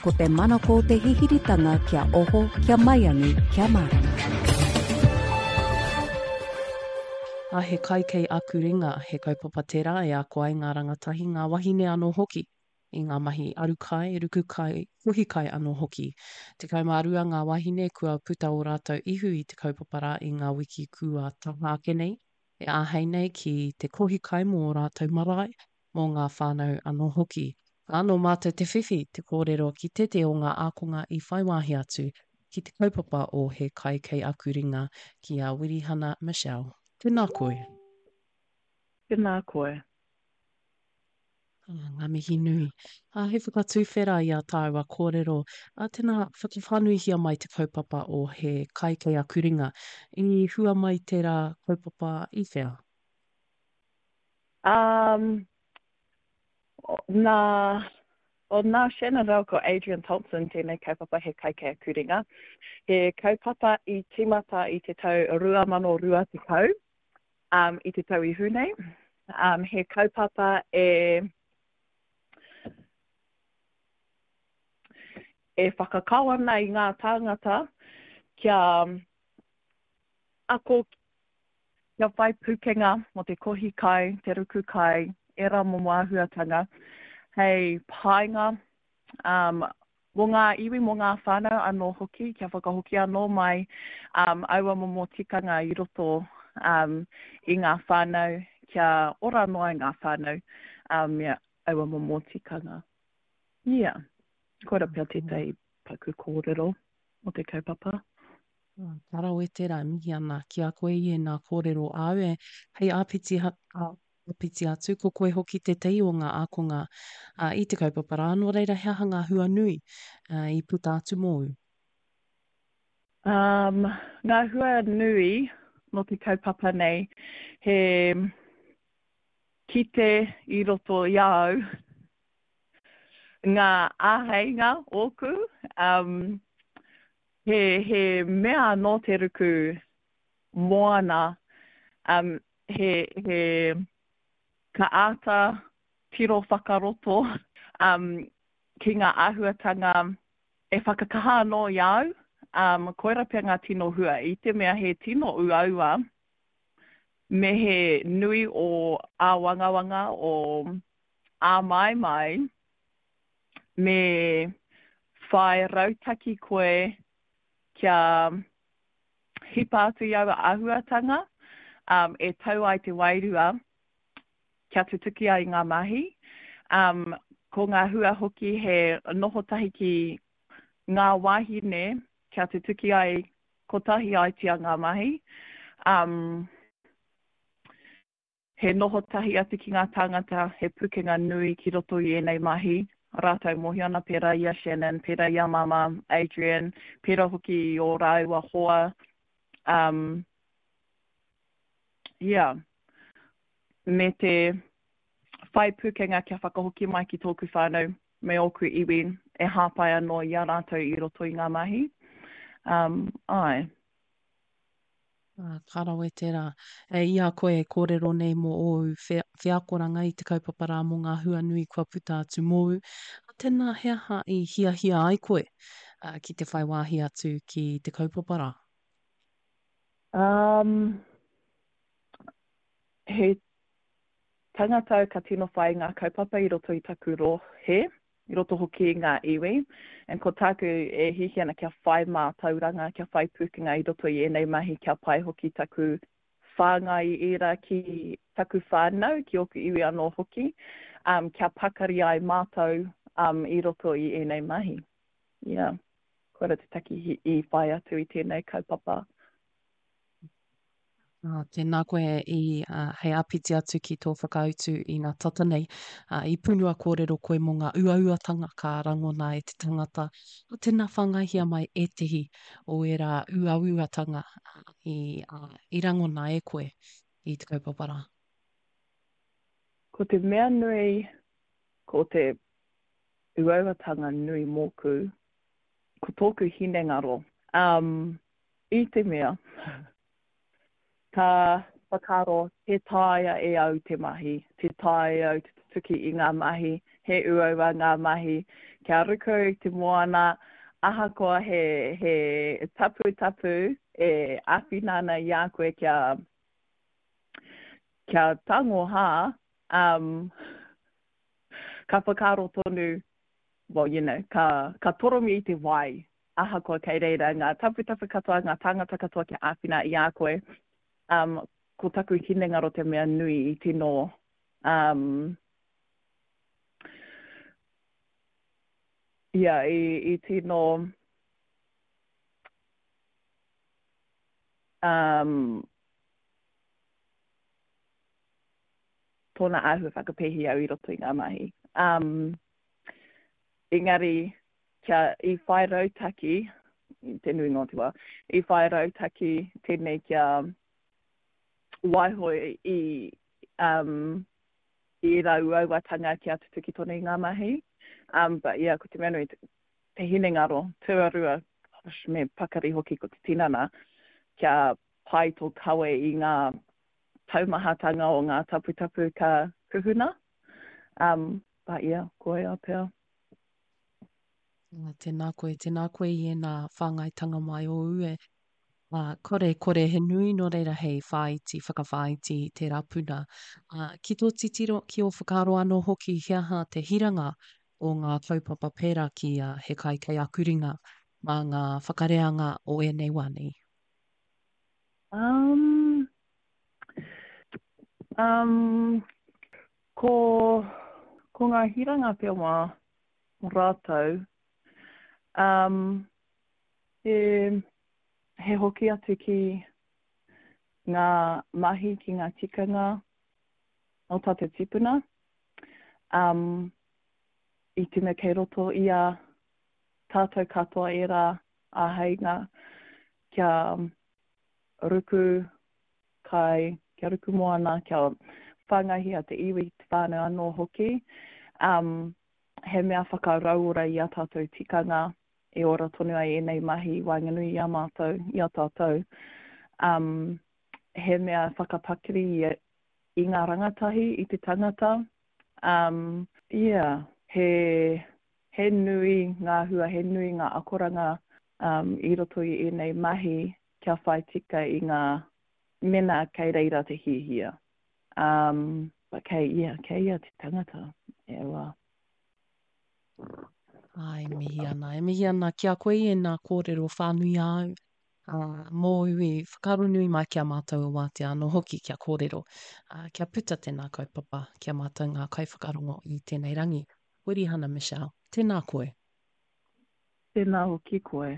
Ko te manako o te hihiritanga kia oho, kia maiangi, kia mārama. A He kai kei aku ringa, he kaupapa tērā e ako ai ngā rangatahi, ngā wahine anō hoki, i ngā mahi aru kai, ruku kai, kohi kai anō hoki. 12 ngā wahine kua puta ō rātou ihu i te kaupapa rā i ngā wiki kua taha ake nei, e āhei nei ki te kohi kai mō ō rātou marae, mō ngā whānau anō hoki. Ā, nō mātou te whiwhi te kōrero ki tētehi o ngā ākonga i whai wāhi atu ki te kaupapa o He Kai Kei Aku Ringa, ki a Wirihana Michelle. Tēnā koe. Tēnā koe. Ā, ngā mihi nui. Ā, he whakatuwhera i ā tāua kōrero. Ā, tēnā, whakawhānuihia mai te kaupapa o He Kai Kei Aku Ringa. I hua mai tērā kaupapa i whea? Um, nā, o nā Shannon rāua ko Adrian Thompson tēnei kaupapa He Kai Kei Aku Ringa. He kaupapa i tīmata i te tau 2020, um, i te tau ihu nei. Um, he kaupapa e e whakakao ana i ngā tāngata kia ako Kia whai pūkenga mō te kohi kai, te ruku kai, ērā momo āhuatanga hei painga um, mō ngā iwi, mō ngā whānau anō hoki, kia whakahoki anō mai um, aua momo tikanga i roto um, i ngā whānau, kia ora anō ai ngā whānau um, me aua momo tikanga. Yeah. Koira pea tētahi paku kōrero mō te kaupapa. Ka rawe tērā e mihi ana ki a koe i ēnā kōrero āu e hei āpiti, āpiti atu, ko koe hoki tētahi o ngā ākonga i te kaupapa rā, nō reira he aha ngā hua nui i puta atu mōu? Um, ngā hua nui mō te kaupapa nei, he kite i roto i a au ngā āheinga ōku, um, He, he mea anō te ruku moana, um, he, he, ka āta tiro whakaroto um, ki ngā āhuatanga e whakakaha anō i a au, um, koira pea ngā tino hua, i te mea he tino uaua me he nui o āwangawanga, o āmaimai, me whai rautaki koe kia hipa atu i aua āhuatanga um, e tau ai te wairua kia tutuki ai ngā mahi. Um, ko ngā hua hoki he noho tahi ki ngā wāhine kia tutuki ai kotahi aitia ngā mahi. Um, He noho tahi atu ki ngā tāngata, he pukenga nui ki roto i ēnei mahi, rātou mōhio ana pērā i a Shannon, pērā i a Māmā, Adrian, pērā hoki i ō rāua hoa, um, yeah. Me te whai pukenga kia whakahoki mai ki tōku whānau me ōku iwi e hāpai anō i a rātou i roto i ngā mahi. Um, āe. Ah, ka rawe tērā. E, i a koe e kōrero nei mō ōu wheakoranga i te kaupapa rā mō ngā hua nui kua puta atu mōu, tēnā he aha i hiahia ai koe ki te whai wāhi atu ki te kaupapa rā? Um, he tangata au ka tino whai i ngā kaupapa i roto i taku rohe, i roto hoki i ngā iwi, and ko tāku e hiahia ana kia whai mātauranga, kia whai pūkenga i roto i ēnei mahi, kia pai hoki taku whāngai i ērā ki taku whānau, ki ōku iwi anō hoki, um, kia pakari ai mātou um, i roto i ēnei mahi. Yeah. Koira te take i whai atu i tēnei kaupapa. Ā, tēnā koe i, ā, hei āpiti atu ki tō whakautu i nā tata nei, ā, i punua kōrero koe mō ngā uauatanga ka rangona e te tangata. Ā, tēnā whāngaihia mai ētehi o ērā uauatanga i, ā, i rangona e koe i te kaupapa rā. Ko te mea nui, ko te uauatanga nui mōku, ko tōku hinengaro. Um, I te mea, ka whakaaro tē taea e au te mahi, tē taea e au te tutuki i ngā mahi, He uaua ngā mahi kia ruku i te moana, ahakoa he, he taputapu e āwhina ana i a koe kia, kia tango hā, um, ka whakaaro tonu, well, you know, ka, ka toromi i te wai, ahakoa kei reira ngā taputapu katoa, ngā tāngata katoa kia āwhina i a koe. Um, ko taku hinengaro te mea nui i tino, um, ia, i, i tino, um, tōna āhua whakapēhi au i roto i ngā mahi. Um, engari, kia i whai rautaki, i te nuinga o te wā, i whai rautaki tēnei kia waiho i, um, i ērā uauatanga kia tutuki tonu i ngā mahi. Um, but yeah, ko te mea nui, te hinengaro, tuarua, gosh, me pakari hoki ko te tinana, kia pai tō kawe i ngā taumahatanga o ngā taputapu ka kuhuna. Um, but yeah, koia pea. Tēnā koe, tēnā koe i ēnā whāngaitanga mai ōu e. Ā, kore, kore he nui nō reira hei whāiti, whakawhāiti i tērā puna. Ā, ki tō titiro, ki ō whakaaro anō hoki he aha te hiranga o ngā kaupapa pērā ki a He Kai Kei Aku Ringa mā ngā whakareanga o ēnei wā nei? Um, um, ko, ko ngā hiranga pea mā rātou, um, he, he hoki atu ki ngā mahi, ki ngā tikanga o tātou tipuna, um, i te mea kei roto i a tātou katoa ērā āheinga kia ruku kai, kia ruku moana, kia whāngaihia te iwi, te whānau anō hoki. Um, he mea whakarauora i a tātou tikanga e ora tonu ai ēnei mahi i waenganui i a mātou, i a tātou. Um, he mea whakapakari i, i ngā rangatahi, i te tangata. Um, yeah, he, he nui ngā hua, he nui ngā akoranga um, i roto i ēnei mahi kia whai tika i ngā mena kei reira te hiahia. Um, but kei ia, kei ia te tangata, e aua. Ai, mihi ana. E mihi ana ki a koe i ēnā kōrero whānui āu, ā, mōu i whakaaro nui mai ki a mātou o Wātea anō hoki kia kōrero, ā, kia puta tēnā kaupapa ki a mātou ngā kaiwhakarongo i tēnei rangi. Wirihana Michelle, tēnā koe. Tēnā hoki koe.